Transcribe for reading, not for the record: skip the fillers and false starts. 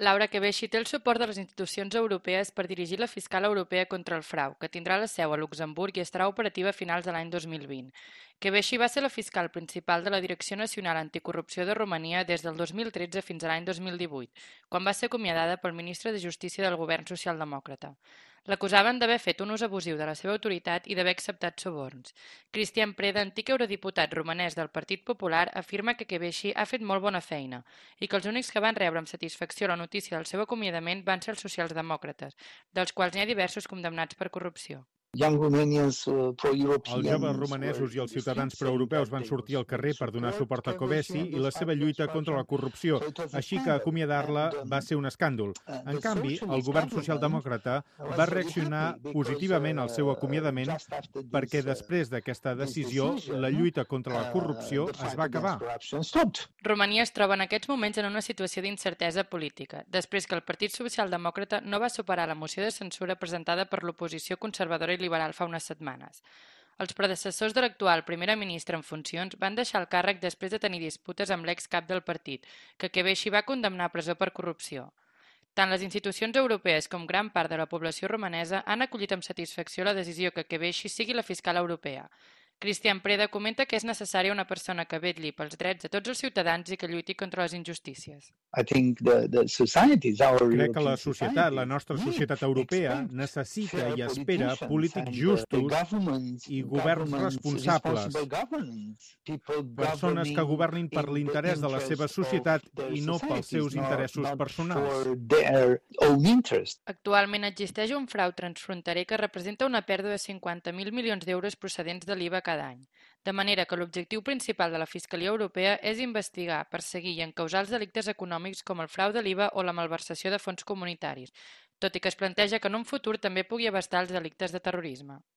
Laura Kövesi té el suport de les institucions europees per dirigir la fiscal europea contra el frau, que tindrà la seu a Luxemburg i estarà operativa a finals de l'any 2020. Kövesi va ser la fiscal principal de la Direcció Nacional Anticorrupció de Romania des del 2013 fins a l'any 2018, quan va ser acomiadada pel ministre de Justícia del govern socialdemòcrata. L'acusaven d'haver fet un ús abusiu de la seva autoritat i d'haver acceptat suborns. Cristian Preda, antic eurodiputat romanès del Partit Popular, afirma que Kövesi ha fet molt bona feina i que els únics que van rebre amb satisfacció la notícia del seu acomiadament van ser els socialdemòcrates, dels quals n'hi ha diversos condemnats per corrupció. Els joves romanesos i els ciutadans proeuropeus van sortir al carrer per donar suport a Kövesi i la seva lluita contra la corrupció, així que acomiadar-la va ser un escàndol. En canvi, el govern socialdemòcrata va reaccionar positivament al seu acomiadament perquè després d'aquesta decisió la lluita contra la corrupció es va acabar. Romania es troba en aquests moments en una situació d'incertesa política, després que el Partit Socialdemòcrata no va superar la moció de censura presentada per l'oposició conservadora i liberal fa unes setmanes. Els predecessors de l'actual primera ministra en funcions van deixar el càrrec després de tenir disputes amb l'ex-cap del partit, que Kövesi va condemnar a presó per corrupció. Tant les institucions europees com gran part de la població romanesa han acollit amb satisfacció la decisió que Kövesi sigui la fiscal europea. Cristian Preda comenta que és necessària una persona que vetlli pels drets de tots els ciutadans i que lluiti contra les injustícies. Crec que la societat, la nostra societat europea, necessita i espera polítics justos i governs responsables, persones que governin per l'interès de la seva societat i no pels seus interessos personals. Actualment existeix un frau transfronterer que representa una pèrdua de 50.000 milions d'euros procedents de l'IVA cada any, de manera que l'objectiu principal de la Fiscalia Europea és investigar, perseguir i encausar els delictes econòmics com el frau de l'IVA o la malversació de fons comunitaris, tot i que es planteja que en un futur també pugui abastar els delictes de terrorisme.